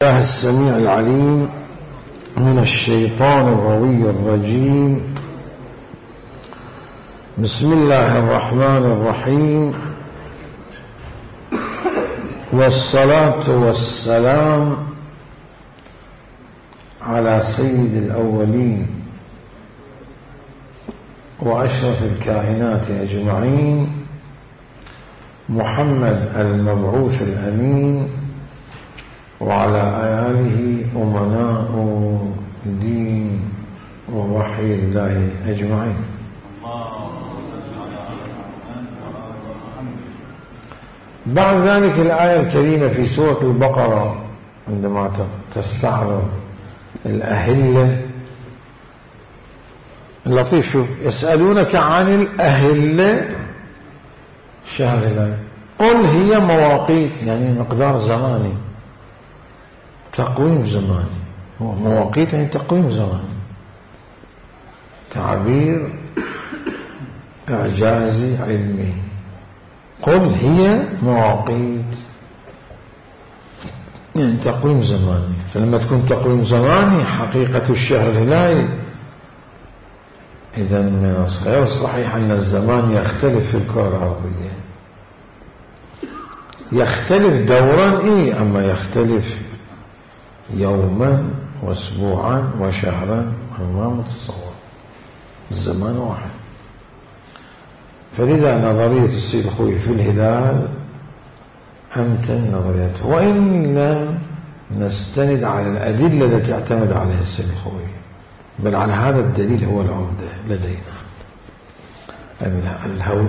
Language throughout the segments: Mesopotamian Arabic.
الله السميع العليم من الشيطان الروي الرجيم. بسم الله الرحمن الرحيم، والصلاة والسلام على سيد الأولين وأشرف الكائنات أجمعين، محمد المبعوث الأمين، وعلى آله أمناء دين ووحي الله أجمعين. بعد ذلك الآية الكريمة في سورة البقرة عندما تستعرض الأهلة اللطيف، شوف: يسألونك عن الأهلة شهر الهلال قل هي مواقيت، يعني مقدار زماني، تقويم زماني. مواقيت يعني تقويم زماني، تعبير إعجازي علمي. قل هي مواقيت يعني تقويم زماني، فلما تكون تقويم زماني حقيقة الشهر الهلالي، إذا من غير صحيح أن الزمان يختلف في الكرة الأرضية، يختلف دورا أما يختلف يوما واسبوعا وشهرا، ما متصور، الزمان واحد. فلذا نظرية السيد الخوئي في الهلال أمتن نظريته، وإن لم نستند على الأدلة التي اعتمد عليها السيد الخوئي، بل على هذا الدليل هو العمدة لدينا،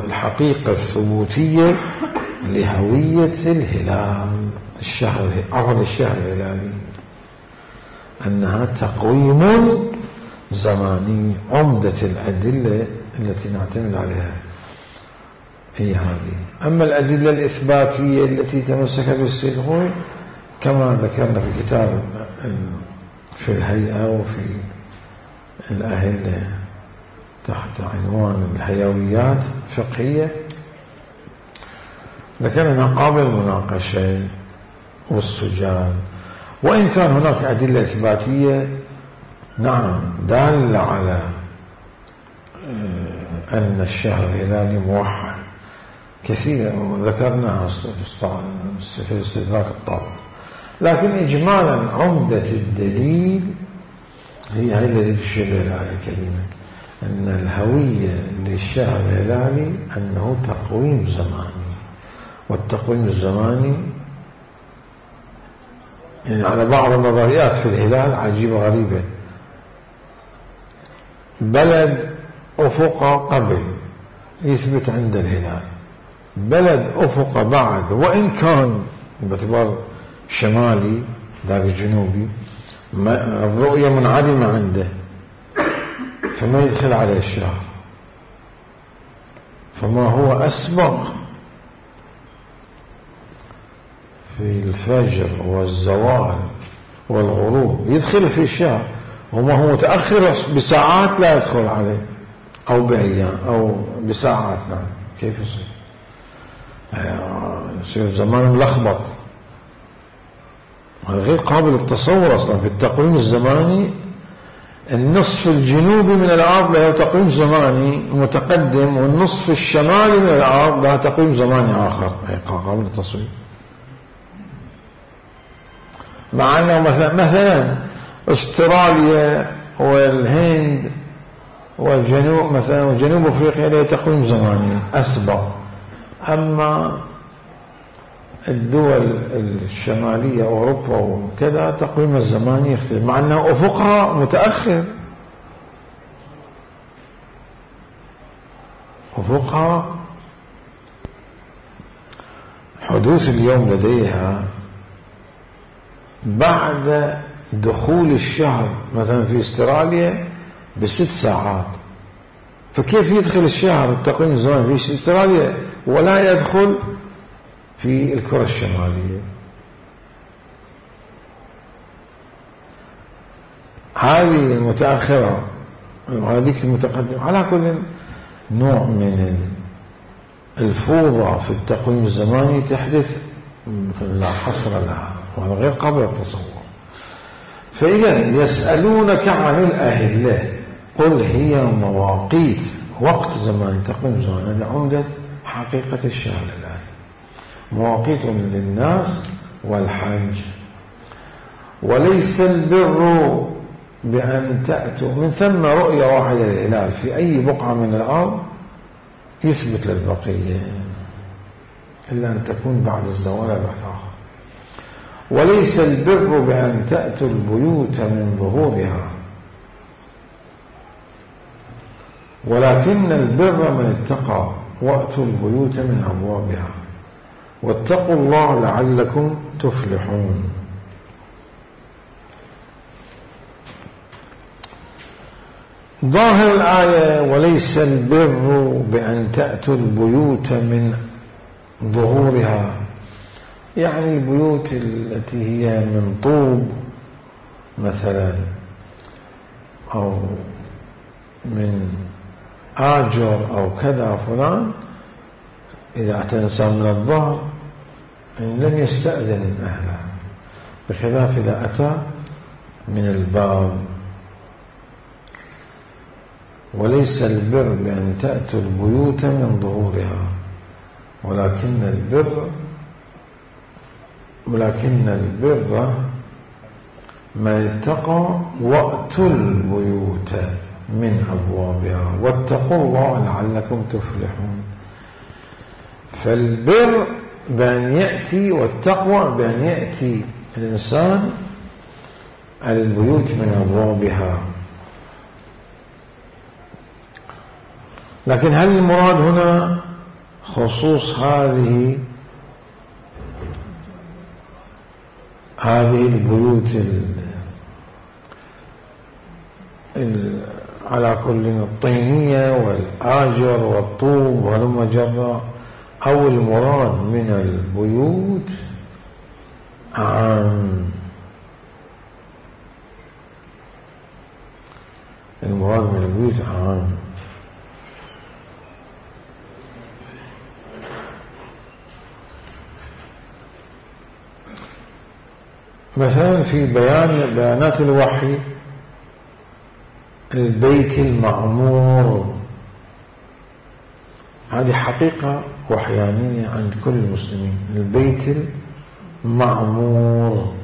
الحقيقة الثبوتية لهوية الهلال، الشهر الهلالي، أنها تقويم زماني. عمدة الأدلة التي نعتمد عليها هي هذه. أما الأدلة الإثباتية التي تمسك بالسيد الخوئي كما ذكرنا في كتاب في الهيئة وفي الأهلة تحت عنوان الحيويات الفقهية، ذكرنا قابل المناقشة والسجال. وإن كان هناك أدلة إثباتية نعم دالة على أن الشهر الهلالي موحد كثيرا، وذكرناها في استدراك الطاقة، لكن إجمالا عمدة الدليل هي التي تشير إلى الآية الكريمة، أن الهوية للشهر الهلالي أنه تقويم زماني، والتقويم الزماني يعني على بعض النظريات في الهلال عجيبة غريبة، بلد أفق قبل يثبت عند الهلال، بلد أفق بعد، وإن كان باعتبار شمالي ذاك جنوبي الرؤية منعدمة عنده، فما يدخل عليه الشهر. فما هو أسبق في الفجر والزوال والغروب يدخل في الشهر، وما هو متأخر بساعات لا يدخل عليه، أو بأيام أو بساعات. نعم، كيف يصير؟ يصير زمان ملخبط، هذا غير قابل للتصور أصلا. في التقويم الزماني النصف الجنوبي من الأرض له تقويم زماني متقدم، والنصف الشمالي من الأرض له تقويم زماني آخر، قابل للتصوير. مع أنه مثلا استراليا والهند والجنوب مثلا وجنوب أفريقيا له تقويم زماني أسبق، أما الدول الشمالية أوروبا وكذا تقويم الزماني يختلف، مع أنه أفقها متأخر، أفقها حدوث اليوم لديها بعد دخول الشهر مثلا في استراليا ب6 ساعات، فكيف يدخل الشهر التقويم الزماني في استراليا ولا يدخل في الكرة الشمالية؟ هذه المتأخرة وهذيك المتقدمة، على كل نوع من الفوضى في التقويم الزماني تحدث لا حصر لها، وهذا غير قابل للتصور. فإذا يسألونك عن الأهلة قل هي مواقيت وقت زمان تقويم زمان. هذه عمدة حقيقة الشهر الآن مواقيت للناس والحج. وليس البر بأن تأتوا من ثم رؤية واحدة للهلال في أي بقعة من الأرض يثبت للبقية إلا أن تكون بعد الزوال بعد آخر. وليس البر بأن تأتوا البيوت من ظهورها ولكن البر من اتقى وأتوا البيوت من أبوابها واتقوا الله لعلكم تفلحون. ظاهر الآية وليس البر بأن تأتوا البيوت من ظهورها يعني البيوت التي هي من طوب مثلا أو من آجر أو كذا فلان إذا أتى الإنسان من الظهر لم يستأذن أهله بخلاف إذا أتى من الباب. وليس البر بأن تأتوا البيوت من ظهورها ولكن البر من اتقى وأتوا البيوت من أبوابها واتقوا الله لعلكم تفلحون. فالبر بأن يأتي والتقوى بأن يأتي الإنسان البيوت من أبوابها. لكن هل المراد هنا خصوص هذه البيوت على كل الطينية والآجر والطوب ولما جرى أو المراد من البيوت عام؟ المراد من البيوت عام. مثلا في بيانات الوحي البيت المعمور هذه حقيقة وحيانية عند كل المسلمين. البيت المعمور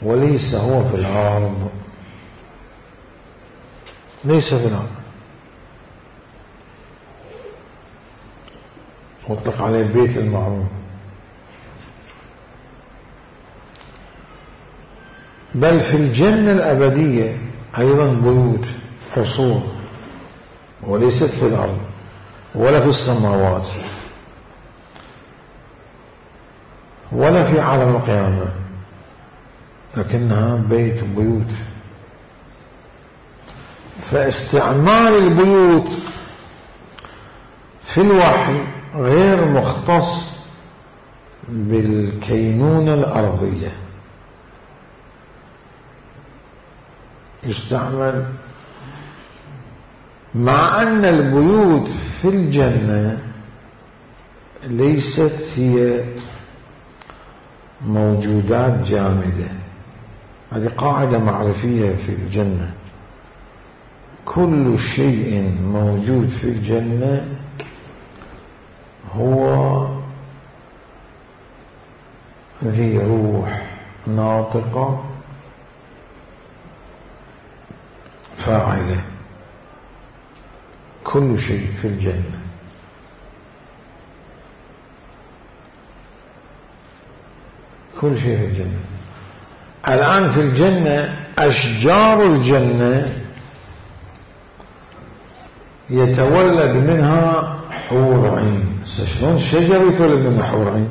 وليس هو في الأرض ليس في الأرض مطلق عليه البيت المعمور بل في الجنة الأبدية أيضا بيوت قصور وليست في الأرض ولا في السماوات ولا في عالم القيامة لكنها بيوت. فاستعمال البيوت في الوحي غير مختص بالكينونة الأرضية يستعمل مع أن البيوت في الجنة ليست هي موجودات جامدة. هذه قاعدة معرفية في الجنة كل شيء موجود في الجنة هو ذي روح ناطقة فاعلة. كل شيء في الجنة كل شيء في الجنة. الآن في الجنة أشجار الجنة يتولد منها حور عين. شلون الشجر يتولد منها حور عين؟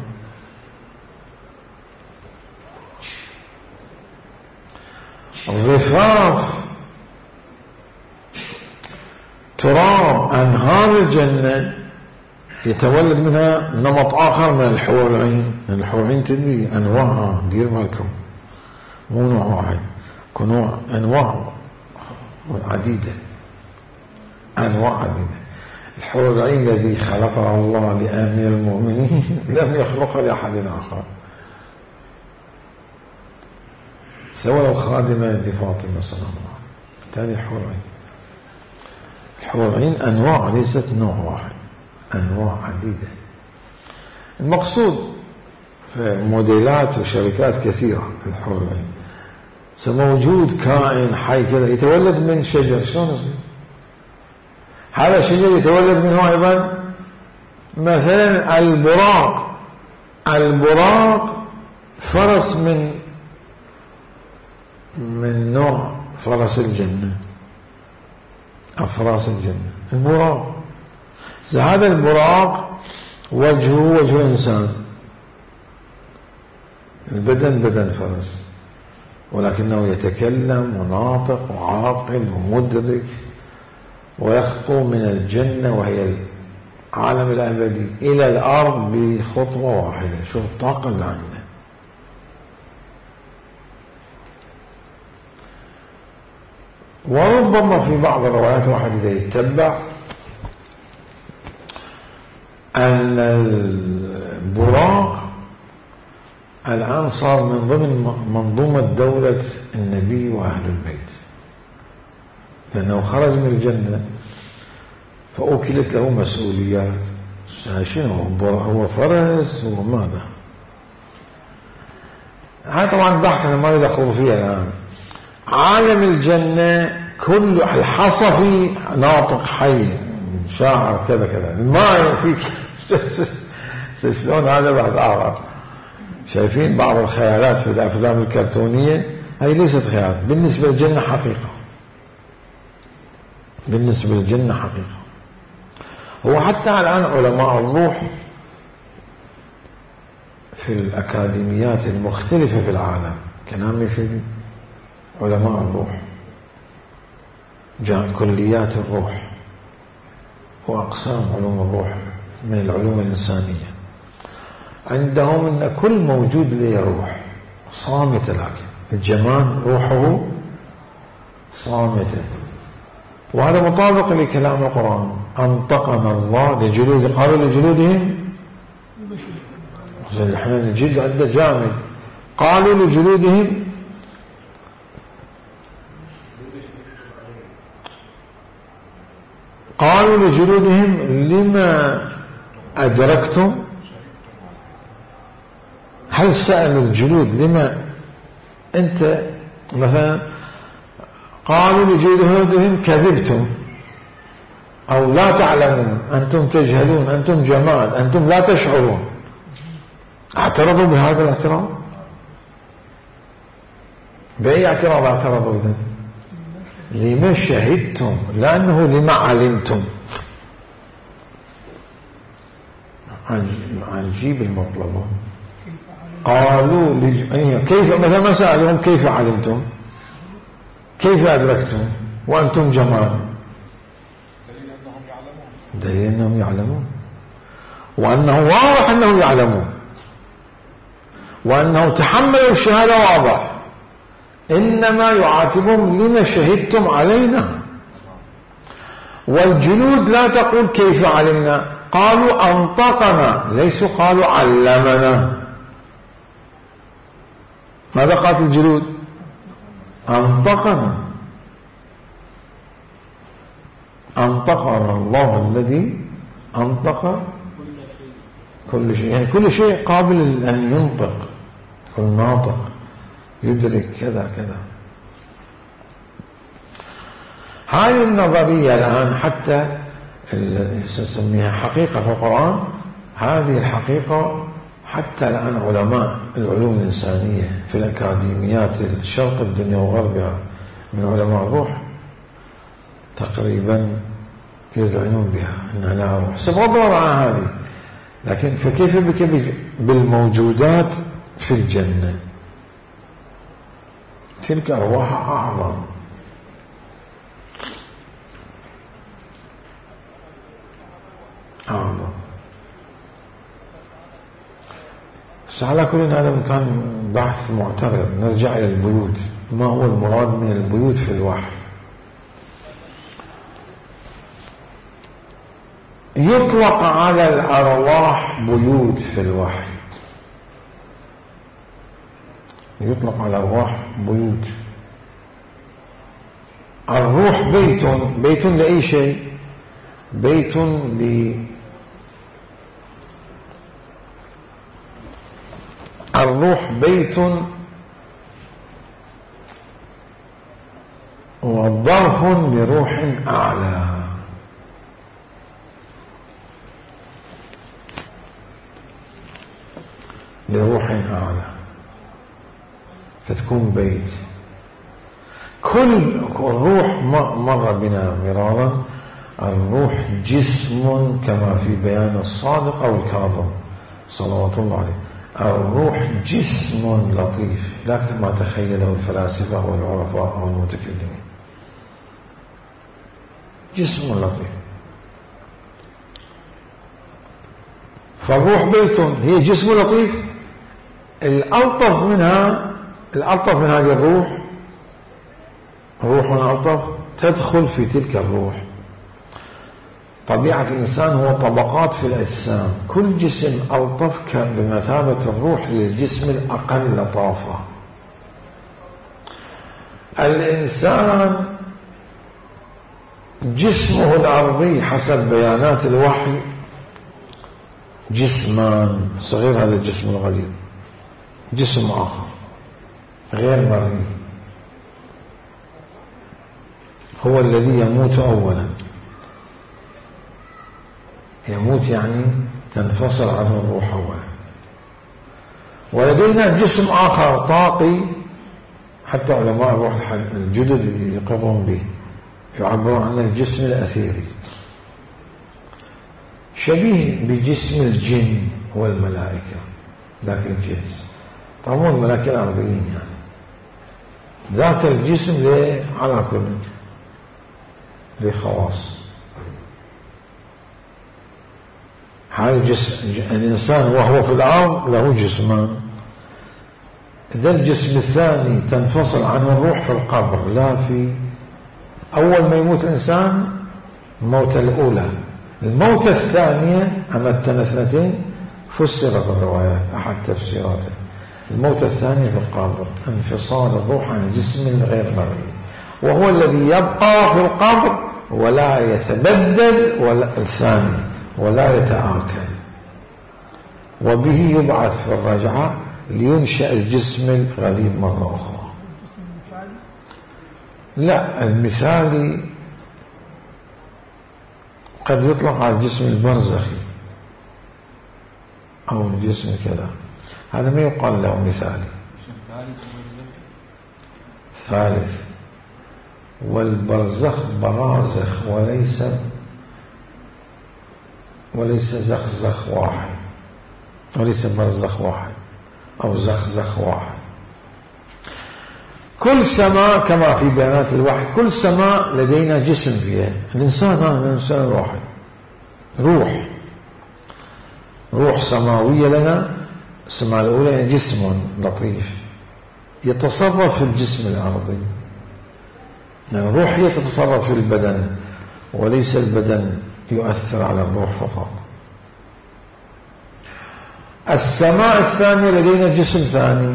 ضفاف تراب أنهار الجنة يتولد منها نمط آخر من الحور العين. الحور العين تدري أنواعها دير بالكم مو نوع واحد أنواع عديدة أنواع عديدة. الحور العين الذي خلقها الله لأمير المؤمنين لم يخلقها لأحد آخر. سواء خادمة لفاطمة صلى الله عليه وسلم. بالتالي الحور العين أنواع، ليست نوع واحد، أنواع عديدة. المقصود في موديلات وشركات كثيرة الحور العين. موجود كائن حي كذا يتولد من شجر، شلون يصير؟ هذا الشجر يتولد منه أيضا مثلا البراق فرس من نوع فرس الجنة، أفراس الجنة، البراق. هذا البراق وجهه وجه إنسان، البدن بدن فرس، ولكنه يتكلم وناطق وعاقل ومدرك، ويخطو من الجنة وهي العالم الأبدي إلى الأرض بخطوة واحدة. شوف الطاقة اللي عنده. وربما في بعض الروايات واحد إذا يتبع أن البراق الآن صار من ضمن منظومة دولة النبي وأهل البيت، لأنه خرج من الجنة فأوكلت له مسؤوليات. شنو هو فرس وماذا؟ هذا طبعا بحث أنا ما يدخل فيها الآن. عالم الجنة كل الحصفي ناطق حي شاعر كذا كذا، ما فيك شلون هذا بعد آخر. شايفين بعض الخيالات في الأفلام الكرتونية، هي ليست خيالات، بالنسبة للجنة حقيقة، بالنسبة للجنة حقيقة. هو حتى الآن علماء الروح في الأكاديميات المختلفة في العالم، كلامي في علماء الروح، كليات الروح وأقسام علوم الروح من العلوم الإنسانية، عندهم أن كل موجود له روح صامتة، لكن الجمال روحه صامتة. وهذا مطابق لكلام القرآن. أنطقنا الله لجلود، قالوا لجلودهم، الحين الجلد عنده جامد، قالوا لجلودهم لما أدركتم. هل سأل الجلود لما أنت مثلا؟ قالوا لجلودهم كذبتم أو لا تعلمون، أنتم تجهلون، أنتم جمال، أنتم لا تشعرون. اعترضوا بهذا الاعتراض. بأي اعتراض اعترضوا إذن؟ لما شهدتم، لأنه لما علمتم. عجيب المطلب. قالوا كيف مثلا ما سألهم كيف علمتم، كيف أدركتم وأنتم جمال؟ دليل أنهم يعلمون، وأنه واضح أنهم يعلمون، وأنه تحملوا الشهادة واضح. إنما يعاتبهم لما شهدتم علينا. والجلود لا تقول كيف علمنا، قالوا أنطقنا، ليسوا قالوا علمنا. ماذا قالت الجلود؟ أنطقنا. أنطقنا الله الذي أنطق كل شيء، يعني كل شيء قابل أن ينطق، كل ناطق يدرك كذا كذا. هذه النظرية الآن حتى نسميها حقيقة في القرآن. هذه الحقيقة حتى الآن علماء العلوم الإنسانية في الأكاديميات الشرق الدنيا وغربها من علماء الروح تقريبا يذعنون بها أنها لا روح، بغض النظر عن هذه. لكن فكيف بك بالموجودات في الجنة؟ تلك أرواح أعظم. بس على كل هذا كان بحث معترض. نرجع إلى البيوت. ما هو المراد من البيوت في الوحي؟ يطلق على الأرواح بيوت في الوحي، يطلق على الأرواح بيوت. الروح بيت لأي شيء، بيت الروح بيت وظرف لروح أعلى. لروح أعلى فتكون بيت. كل الروح مر بنا مرارا، الروح جسم كما في بيان الصادق أو الكاظم صلوات الله عليه. الروح جسم لطيف لا كما تخيله الفلاسفة والعرفاء أو المتكلمين، جسم لطيف. فالروح بيت، هي جسم لطيف. الألطف من هذه الروح، روح ألطف تدخل في تلك الروح. طبيعة الإنسان هو طبقات في الأجسام، كل جسم ألطف كان بمثابة الروح للجسم الأقل لطافة. الإنسان جسمه الأرضي حسب بيانات الوحي جسمان، صغير هذا الجسم الغليظ، جسم آخر غير مرئي هو الذي يموت أولا. يموت يعني تنفصل عنه الروح أولا. ولدينا جسم آخر طاقي، حتى علماء الروح الجدد يقرون به، يعبرون عنه الجسم الأثيري، شبيه بجسم الجن والملائكة ذاك الجنس. طبعا الملائكة الأرضيين يعني ذاك الجسم على كل لخواص. هذا الإنسان وهو في الأرض له جسمان. ذا الجسم الثاني تنفصل عنه الروح في القبر، لا في أول ما يموت الإنسان الموتة الأولى. الموتة الثانية أمتنا اثنتين فسر بالروايات أحد تفسيراته. الموتة الثانية في القبر، انفصال الروح عن الجسم الغير مرئي، وهو الذي يبقى في القبر ولا يتبدل ولا الثاني ولا يتآكل، وبه يبعث في الرجعة لينشأ الجسم الغليظ مرة أخرى. لا، المثالي قد يطلق على الجسم البرزخي أو الجسم كذا، هذا ما يقال له مثالي. ثالث، والبرزخ برازخ وليس زخزخ واحد، وليس برزخ واحد أو زخزخ واحد. كل سماء كما في بيانات الوحي، كل سماء لدينا جسم فيها. الإنسان هذا الإنسان الواحد روح سماوية لنا. السماء الأولى جسم لطيف يتصرف في الجسم الأرضي، لأن الروح هي تتصرف في البدن وليس البدن يؤثر على الروح فقط. السماء الثانية لدينا جسم ثاني،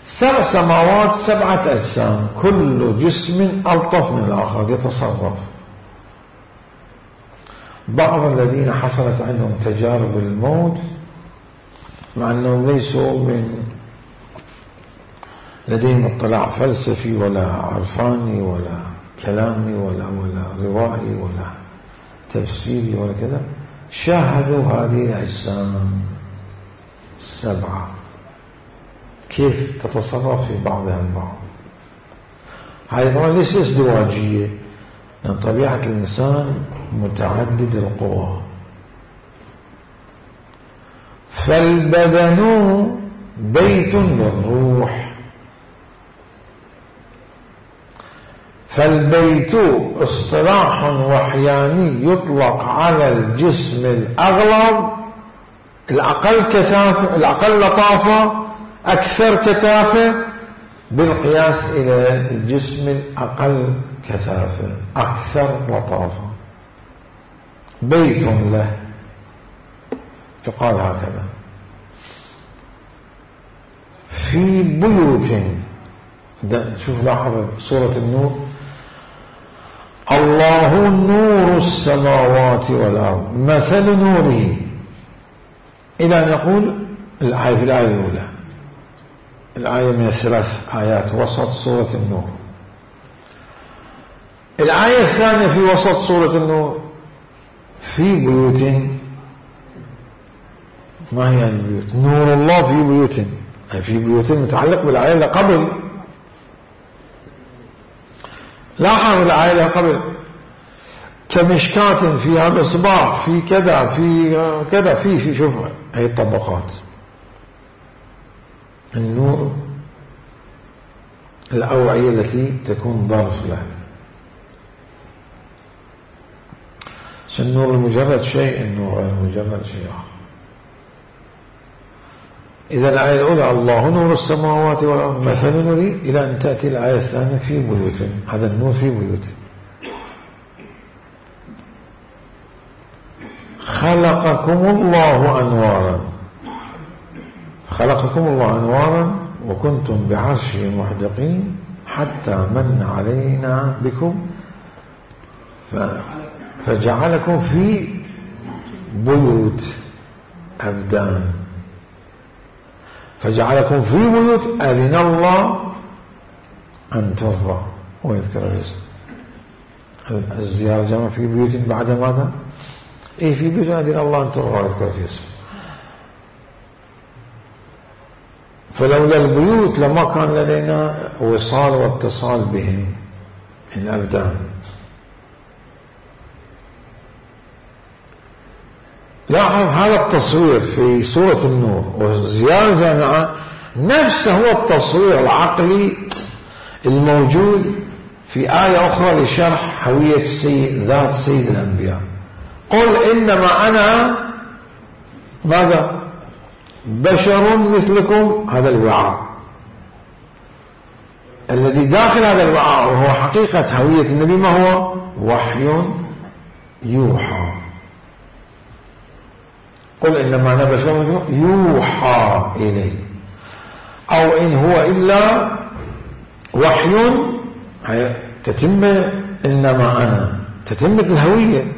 7 سماوات 7 أجسام، كل جسم ألطف من الآخر يتصرف. بعض الذين حصلت عندهم تجارب الموت مع أنهم ليسوا لديهم اطلاع فلسفي ولا عرفاني ولا كلامي ولا روائي ولا تفسيري ولا كذا، شاهدوا هذه الأجسام 7 كيف تتصرف في بعضها البعض. هذه طبعا ليس ازدواجية، لأن طبيعة الإنسان متعدد القوى. فالبدن بيت للروح، فالبيت اصطلاح وحياني يطلق على الجسم الأغلظ الأقل كثافة، الأقل لطافة، أكثر كثافة، بالقياس إلى الجسم الأقل كثافة أكثر لطافة. بيت له يقال هكذا. في بيوت. شوف لاحظ سورة النور، الله نور السماوات والأرض مثل نوره، إلى أن يقول الآية في الآية الأولى، الآية من الثلاث آيات وسط سورة النور. الآية الثانية في وسط سورة النور، في بيوت. ما هي البيوت؟ نور الله في بيوت، أي في بيوت متعلق بالآية اللي قبل. لاحظ الآية اللي قبل كمشكات فيها مصباح، في كذا، في كذا، في شوف هي الطبقات. النور الأوعية التي تكون ظرف له. النور المجرد شيء، النور المجرد شيء آخر. إذا الآية الأولى الله نور السماوات والأرض مثل نوره، إلى أن تأتي الآية الثانية في بيوت، هذا النور في بيوت. خلقكم الله أنوارا، خلقكم الله أنوارا وكنتم بعرشه محدقين حتى من علينا بكم فجعلكم في بيوت أبدان، فجعلكم في بيوت أذن الله أن ترفع ويذكر الاسم. الزيارة جمع في بيوت بعد ماذا؟ إيه في بيوت أذن الله أن ترفع ويذكر في اسم. فلولا البيوت لما كان لدينا وصال واتصال بهم الأبدان. لاحظ هذا التصوير في سورة النور وزيارة جامعة نفسه هو التصوير العقلي الموجود في آية أخرى لشرح هوية ذات سيد الأنبياء. قل إنما أنا ماذا؟ بشر مثلكم. هذا الوعاء الذي داخل هذا الوعاء وهو حقيقة هوية النبي ما هو؟ وحي يوحى. قل إنما أنا بشر مثلكم يوحى إلي، أو إن هو إلا وحي، تتم إنما أنا تتمة الهوية.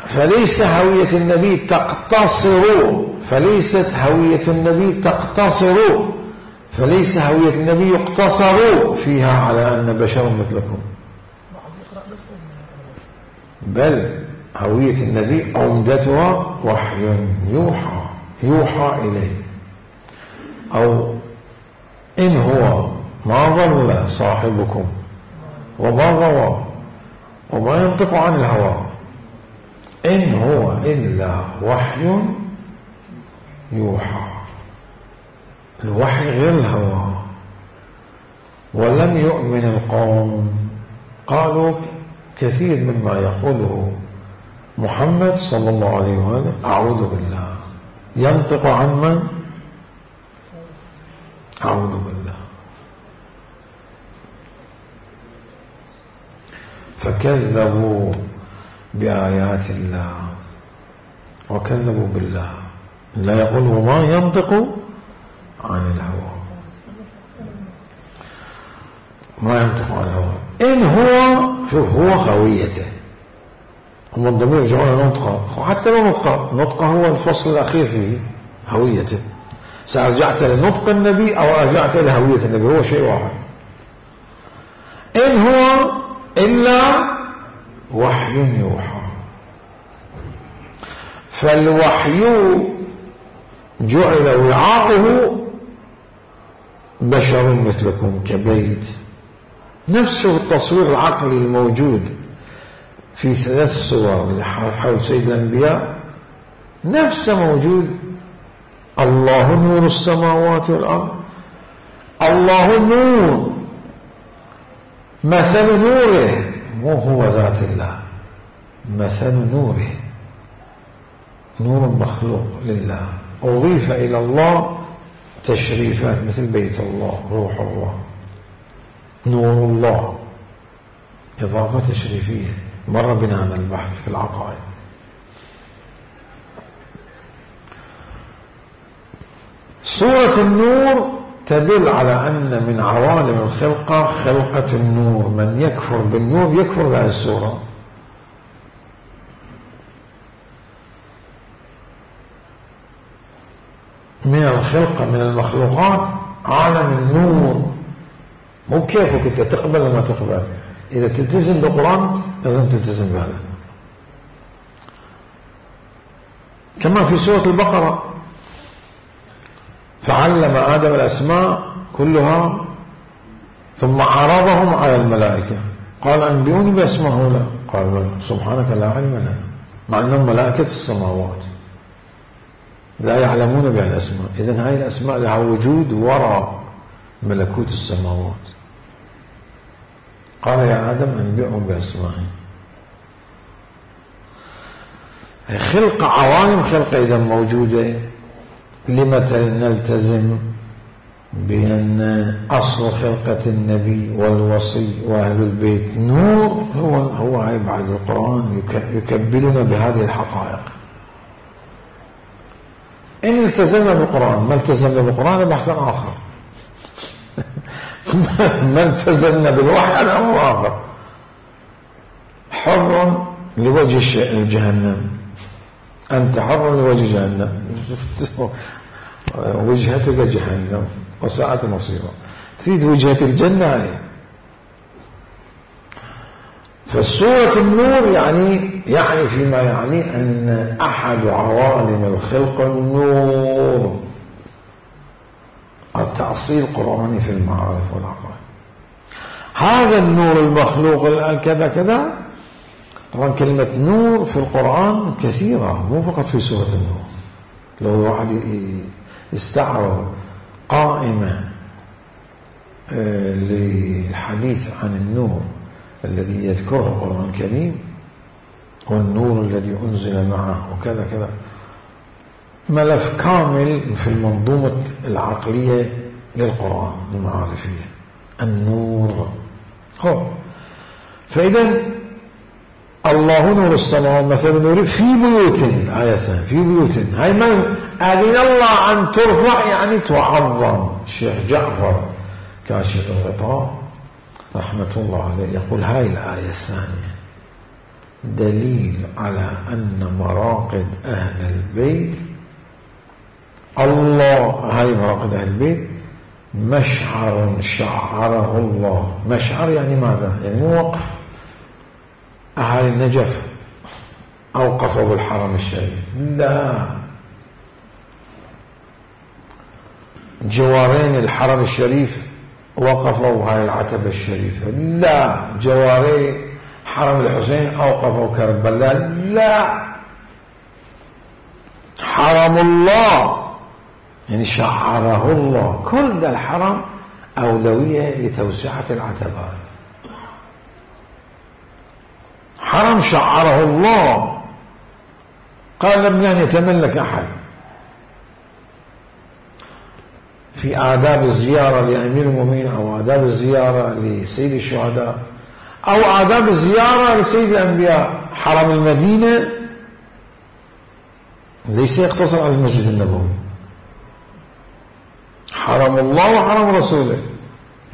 فليس هوية النبي تقتصر، فليست هوية النبي تقتصر، فليس هوية النبي يقتصر فيها على أن بشر مثلكم، بل هوية النبي عمدتها وحي يوحى إليه. أو إن هو ما ضل صاحبكم وما غوى وما ينطق عن الهوى إن هو إلا وحي يوحى. الوحي غير الهوى. ولم يؤمن القوم، قالوا كثير مما يقوله محمد صلى الله عليه وآله أعوذ بالله، ينطق عن من؟ أعوذ بالله. فكذبوا بآيات الله وكذبوا بالله. لا يقول وما ينطق عن الهوى، ما ينطق عن الهوى. إن هو شوف هو هويته، هم الضمير يرجعون نطقه، حتى لو نطقه هو الفصل الأخير فيه هويته. سأرجعت لنطق النبي أو رجعت لهوية النبي، هو شيء واحد. إن هو إلا وحي يوحى. فالوحي جعل وعاؤه بشر مثلكم كبيت. نفسه التصوير العقلي الموجود في 3 صور حول سيد الأنبياء نفسه موجود. الله نور السماوات والأرض، الله نور، مثل نوره، مو هو ذات الله، مثل نوره، نور مخلوق لله أضيف إلى الله تشريفات مثل بيت الله، روح الله، نور الله، إضافة تشريفية. مر بنا هذا البحث في العقائد. سورة النور تدل على أن من عوالم الخلقة خلقة النور، من يكفر بالنور يكفر بهذه السورة. من الخلقة من المخلوقات عالم النور، مو كيفك أنت تقبل وما تقبل. إذا تلتزم بالقرآن لازم تلتزم بهذا. كما في سورة البقرة فعلم آدم الأسماء كلها ثم عرضهم على الملائكة قال أنبئوني بأسماء هؤلاء قال سبحانك لا علم لنا، مع أنهم ملائكة السماوات لا يعلمون بها الأسماء. إذن هاي الأسماء لها وجود وراء ملكوت السماوات. قال يا آدم أنبئهم بأسمائهم. خلق عوالم خلق إذا موجودة. لمتى نلتزم بأن أصل خلقة النبي والوصي وأهل البيت نور، هو هاي بعد القرآن يكبلنا بهذه الحقائق. إن التزمنا بالقرآن، ما التزمنا بالقرآن بحث آخر. ما التزمنا بالوحي هذا أمر آخر. حر لوجه الجهنم، أنت حر لوجه جهنم. وجهتك جهنم وساءت مصيرا. تريد وجهة الجنة هاي. فالسورة النور يعني فيما يعني أن أحد عوالم الخلق النور، التأصيل القرآني في المعارف والعقائد. هذا النور المخلوق كذا كذا. طبعا كلمة نور في القرآن كثيرة، مو فقط في سورة النور. لو واحد يستعرض قائمة للحديث عن النور الذي يذكره القرآن الكريم والنور الذي أنزل معه وكذا كذا، ملف كامل في المنظومة العقلية للقرآن المعارفية النور. فإذا الله نور السماوات مثل نور في بيوت، آية ثانية في بيوت. هاي من أذن الله أن ترفع يعني تعظم. الشيخ جعفر كاشف الغطاء رحمة الله عليه يقول هاي الآية الثانية دليل على أن مراقد أهل البيت الله، هاي مراقد أهل البيت مشعر شعره الله. مشعر يعني ماذا؟ يعني وقف. أهل النجف أوقفوا بالحرم الشريف؟ لا. جوارين الحرم الشريف وقفوا هاي العتبة الشريفة؟ لا. جواري حرم الحسين أوقفوا كربلاء؟ لا. حرم الله يعني شعره الله. كل ده الحرم أولوية لتوسعة العتبات. حرم شعره الله. قال لم يتملك أحد. في آداب الزيارة لأمير المؤمنين أو آداب الزيارة لسيد الشهداء أو آداب الزيارة لسيد الأنبياء، حرم المدينة ليس يقتصر على المسجد النبوي. حرم الله وحرم رسوله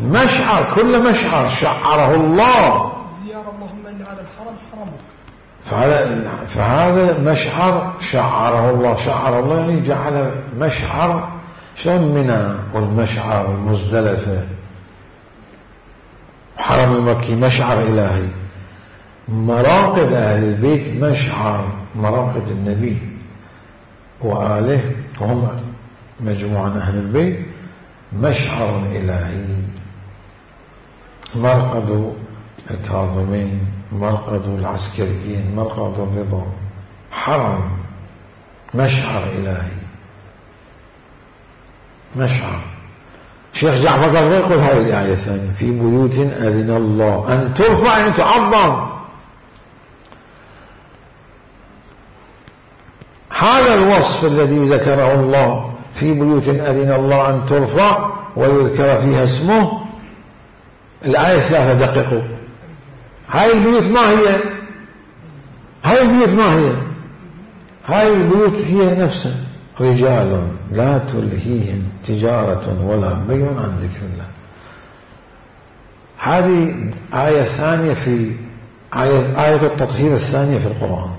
مشعر، كل مشعر شعره الله. زيارة اللهم إن هذا الحرم حرمك، فهذا مشعر شعره الله. شعر الله يعني جعل مشعر، شلون منى والمشعر والمزدلفة. حرم المكي مشعر إلهي. مراقد أهل البيت مشعر، مراقد النبي وآله وهم مجموعة أهل البيت مشعر إلهي. مرقد الكاظمين، مرقد العسكريين، مرقد الرضا، حرم مشعر إلهي. مشعر. شيخ جعفر قال يقول هذه الآية الثانية في بيوت أذن الله أن ترفع أن تعظم. هذا الوصف الذي ذكره الله في بيوت أذن الله أن ترفع ويذكر فيها اسمه. الآية 3 دققوا. هاي البيوت ما هي؟ هاي البيوت ما هي؟ هاي البيوت هي نفسها رجال لا تلهيهم تجارة ولا بيع عن ذكر الله. هذه آية ثانية في آية التطهير الثانية في القرآن.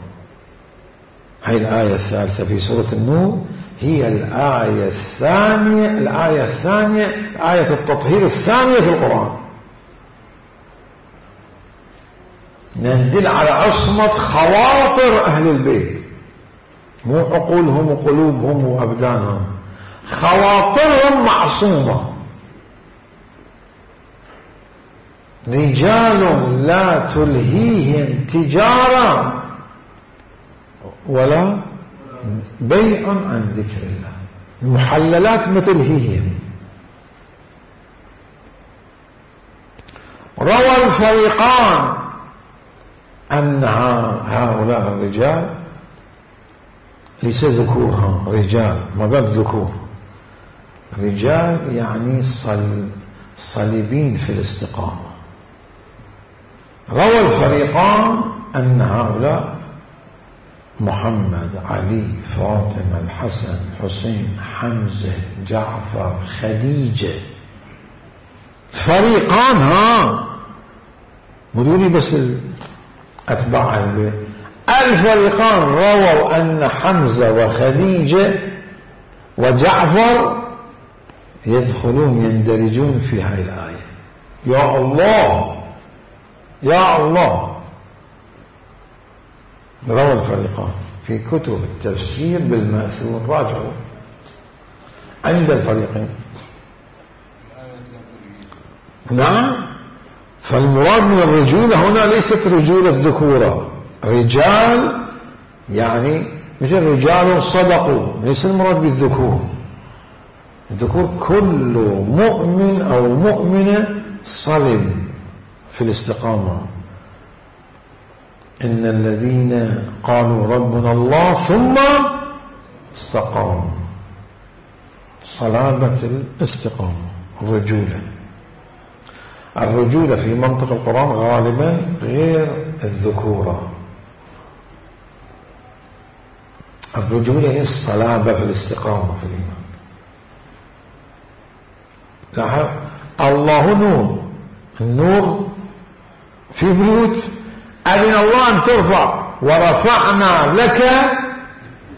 هذه الآية الثالثة في سورة النور هي الآية الثانية آية التطهير الثانية في القرآن. ندل على عصمة خواطر أهل البيت، مو عقولهم وقلوبهم وأبدانهم، خواطرهم معصومة. رجال لا تلهيهم تجارة ولا بيع عن ذكر الله. المحللات ما تلهيهم. روى الفريقان أن هؤلاء الرجال ليس ذكورها، رجال ما قال ذكور، رجال يعني صليبين في الاستقامة. روى الفريقان أن هؤلاء محمد، علي، فاطمة، الحسن، حسين، حمزة، جعفر، خديجة. فريقان بدوني بس أتباع البيت. الفريقان رووا أن حمزة وخديجة وجعفر يدخلون يندرجون في هذه الآية. يا الله يا الله. روى الفريقان في كتب التفسير بالمأثور، راجعوا عند الفريقين. نعم. فالمراد من الرجولة هنا ليست رجولة الذكورة، رجال يعني مثل رجال صدقوا، ليس المراد بالذكور. الذكور كل مؤمن أو مؤمنة صلب في الاستقامة. إن الذين قالوا ربنا الله ثم استقاموا، صلابة الاستقامة. الرجولة في منطق القرآن غالبا غير الذكورة. الرجولة هي الصلابة في الاستقامة في الإيمان. لاحظ الله نور، النور في بيوت أذن الله أن ترفع ورفعنا لك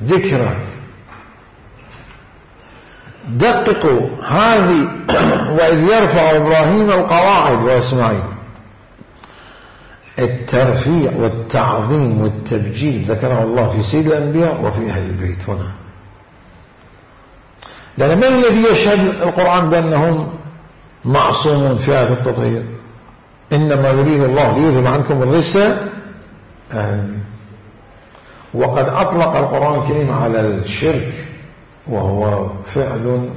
ذكرك. دققوا هذه وإذ يرفع إبراهيم القواعد وإسماعيل. الترفيع والتعظيم والتبجيل ذكره الله في سيد الأنبياء وفي أهل البيت هنا. لأن من الذي يشهد القرآن بأنهم معصومون في آية التطهير؟ إنما يريد الله ليذهب عنكم الرجس. وقد أطلق القرآن الكريم على الشرك وهو فعل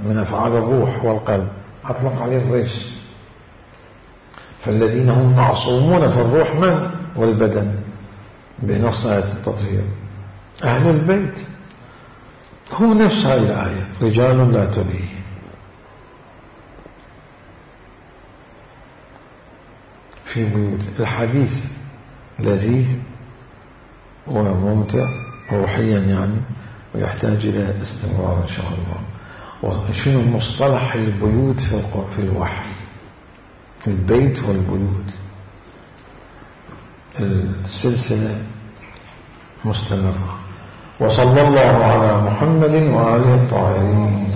من أفعال الروح والقلب، أطلق عليه الرجس. فالذين هم معصومون في الروح من والبدن بنص آية التطهير أهل البيت. هو نفس هذه الآية رجال لا تلهيهم. في بيوت. الحديث لذيذ وممتع روحيا يعني، ويحتاج إلى استمرار إن شاء الله. وشنو مصطلح البيوت في الوحي؟ البيت والبيوت. السلسلة مستمرة. وصلى الله على محمد وآله الطاهرين.